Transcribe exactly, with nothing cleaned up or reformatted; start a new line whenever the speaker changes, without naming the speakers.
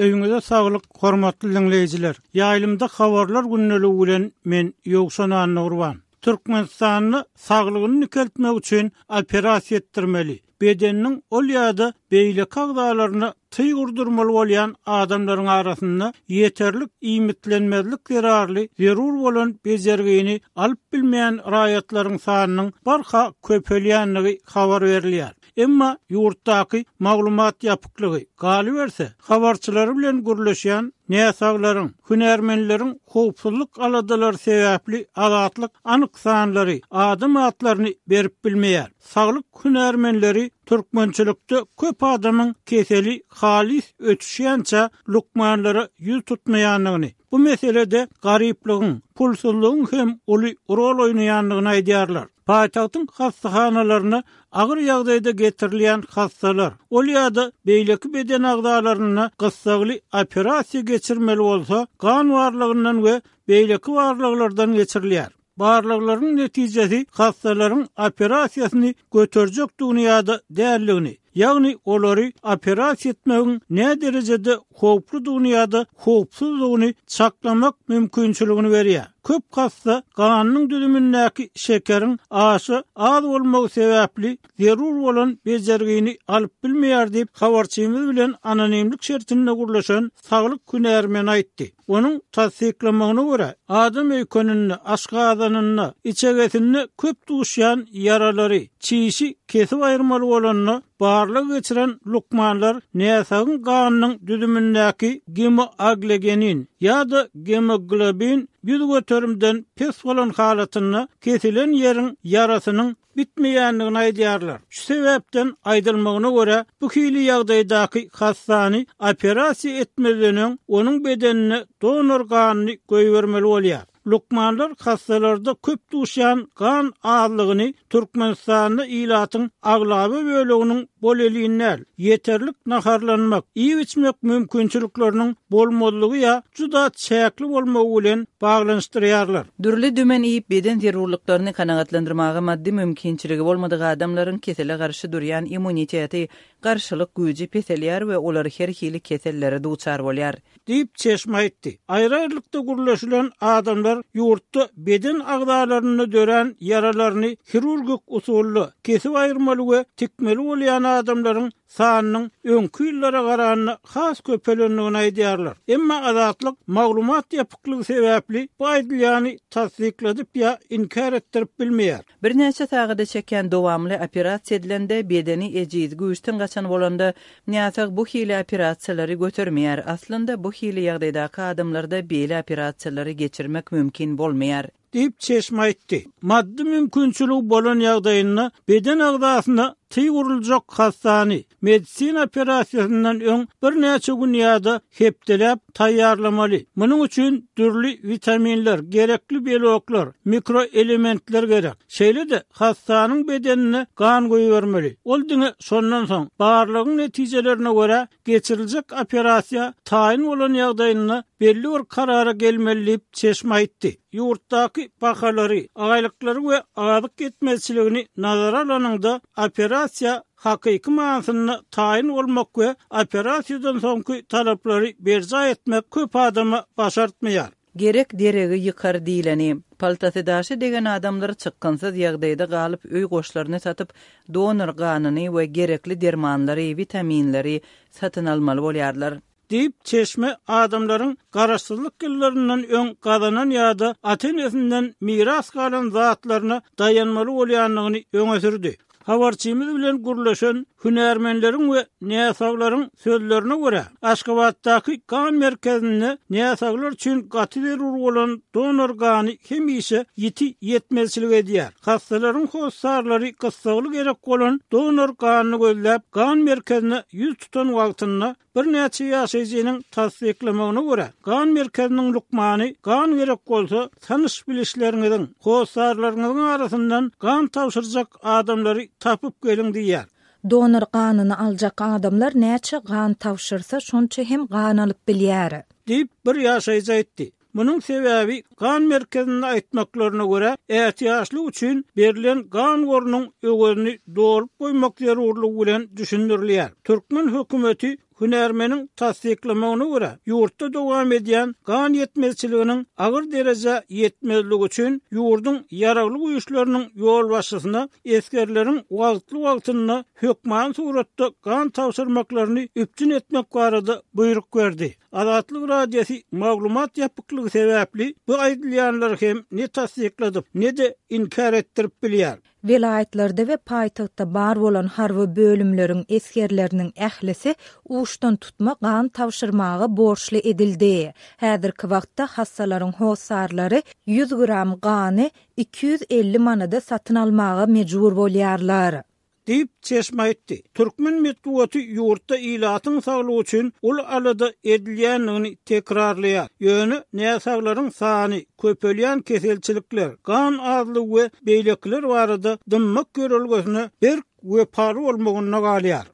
Öýüňize saglyk, hormatly diňleýjiler. Ýaýlymda habarlar gündeligi bilen men Ýowşan Annagurban. Türkmenistanda saglygyny dikeltmek üçin operasiýa etdirmeli. Bedeniniň ol ýa-da beýleki agzalaryna tyg urdurmaly bolýan adamlaryň arasynda ýeterlik iýmitlenmezlik zerarly zerur bolan bejergini alyp bilmeýän raýatlaryň sanynyň barha köpelýändigi habar berilýär. Emma ýurtdaky maglumat ýapyklygy galyberse, habarçylary bilen gürleşýän näsaglaryň, hünärmenleriň howpsuzlyk aladalary sebäpli Azatlyk anyk sanlary, adam atlaryny berip bilmeýär. Saglyk hünärmenleri türkmençilikde köp adamyň keseli halys ötüşýänçä lukmanlara ýüz tutmaýandygyny, bu meselede garyplygyň, pulsuzlygyň hem uly rol oýnaýandygyny aýdýarlar. Paýtagtyň hassahanalaryna agyr ýagdaýda getirilýän hassalar, ol ýa-da beýleki beden agzalaryna gyssagly operasiýa geçirmeli bolsa, gan barlagyndan we beýleki barlaglardan geçirilýär. Barlaglaryň netijesi hassalaryň operasiýasyny göterjekdigini ýa-da däldigini, ýagny olary operasiýa etmegiň näderejede howpludygyny ýa-da howpsuzdygyny çaklamak mümkinçiligini berýär. Köp hassa ganyň düzümindäki şekeriň aşa az bolmagy sebäpli zerur bolan bejergini alyp bilmeýär diýip, habarçymyz bilen anonimlik şertinde gürleşen saglyk hünärmeni aýtdy. Onuň tassyklamagyna görä, adam öýkeninde, aşgazanynda, içegesinde köp duşýan ýaralary, çişi kesip aýyrmaly bolanda barlag geçiren lukmanlar näsagyň ganynyň düzümindäki gemoaglegenin ýa-da gemoglobin ýüz göterimden pes bolan halatynda kesilen ýeriň ýarasynyň bitmeýändigini aýdýarlar. Şu sebäpden aýdylmagyna görä, bu hili ýagdaýdaky hassany operasiýa etmezden öň onuň bedenine donor ganyny goýbermeli bolýar. Lukmanlar hassalarda köp duşýan gan azlygyny Türkmenistanda ilatyň aglaba böleginiň bolelin däl, ýeterlik naharlanmak, iýip-içmek mümkinçilikleriniň bolmazlygy ýa juda çäkli bolmagy bilen baglanyşdyrýarlar.
Dürli dümen iýip beden zerurlyklaryny kanagatlandyrmaga maddy mümkinçiligi bolmadyk adamlaryň kesele garşy durýan immuniteti, garşylyk güýji peselýär we olar her hili kesellere duçar bolýar.
Diýip çeşme aýtdy. Aýry-aýrylykda gürleşilen adamlar ýurtda beden agzalarynda dörän ýaralaryny hirurgik usulda kesip aýyrmaly we tikmeli bolýan adamlaryň sanynyň öňki ýyllara garanda has köpelendigini aýdýarlar. Emma Azatlyk maglumat ýapyklygy sebäpli bu aýdylýany tassykladyp ýa inkär etdirip bilmeýär.
Birnäçe sagada çekýän dowamly operasiýa edilende bedeni ejiz, güýçden gaçan bolanda näsag bu hili operasiýalary götermeýär. Aslynda bu hili ýagdaýdaky adamlarda beýle operasiýalary geçirmek mümkin bolmaýar.
Diýip çeşme aýtdy. Maddy mümkinçiligi bolan ýagdaýynda beden agzasyna tyg uruljak hassany medisina operasiýasyndan öň birnäçe gün ýa-da hepdeläp taýýarlamaly. Munuň üçin dürli witaminler, gerekli beloklar, mikroelementler gerek. Şeýle-de hassanyň bedenine gan goýbermeli. Ol diňe şondan soň barlagyň netijelerine görä geçiriljek operasiýa taýyn bolan ýagdaýynda belli bir karara gelmeli diýip çeşme aýtdy. Ýurtdaky bahalary, aýlyklary we azyk ýetmezçiligini nazara alanyňda operasiýa hakyky manysynda taýyn bolmak we operasiýadan soňky talaplary berjaý etmek köp adama başartmaýar.
Gerek deregi ýykar diýleni. Paltasy daşy degen adamlar çykgynsyz ýagdaýda galyp öý goşlaryny satyp, donor ganyny we gerekli dermanlary, witaminleri satyn almaly bolýarlar.
Diýip çeşme adamlaryň garaşsyzlyk ýyllaryndan öň gazanan ýa-da ata-enesinden miras galan zatlaryna daýanmaly bolýandygyny öňe sürdi. Habarçymyz bilen gürleşen hünärmenleriň we näsaglaryň sözlerine görä, Aşgabatdaky gan merkezinde näsaglar üçin gaty zerur bolan donor gany hemişe ýiti ýetmezçilik edýär. Hassalaryň hossarlary gyssagly gerek bolan donor ganyny gözläp, gan merkezine ýüz tutan wagtynda birnäçe ýaşaýjynyň tassyklamagyna görä, gan merkeziniň lukmany gan gerek bolsa, tanyş bilişleriňiziň, hossarlaryňyzyň arasyndan gan tabşyrjak adamlary tapyp geliň diýýär.
Donor ganyny aljak adamlar näçe gan tabşyrsa, şonça hem gan alyp bilýär.
Diýip bir ýaşaýjy aýtdy. Munuň sebäbi gan merkezinde aýtmaklaryna görä, ätiýaçlyk üçin berlen gan gorunyň öwezini dolup goýmak zerurlygy bilen düşündirilýär. Türkmen hökümeti Hünärmeniň tassyklamagyna görä, ýurtda dowam edýän gan ýetmezçiliginiň agyr derejä ýetmezligi üçin ýurduň ýaragly güýçleriniň ýolbaşçysyna esgerleriň wagtly-wagtynda hökman suratda gan tabşyrmaklaryny üpjün etmek barada buýruk berdi. Azatlyk Radiosy maglumat ýapyklygy sebäpli bu aýdylýanlary hem ne tassykladyp, ne-de inkär etdirip bilýär.
Welaýatlarda we paýtagtda bar bolan harby bölümleriň esgerleriniň ählisi uçdan tutma gan tabşyrmaga borçly edildi. Häzirki wagtda hassalaryň hossarlary ýüz gram gany iki ýüz elli manada satyn almaga mejbur bolýarlar.
Diýip çeşme aýtdy. Türkmen metbugaty ýurtda ilatyň saglygy üçin uly alada edilýändigini tekrarlaýar. Ýöne näsaglaryň sany, köpelýän keselçilikler, gan azlygy we beýlekiler barada dymmak ýörelgesine berk wepaly bolmagynda galýar.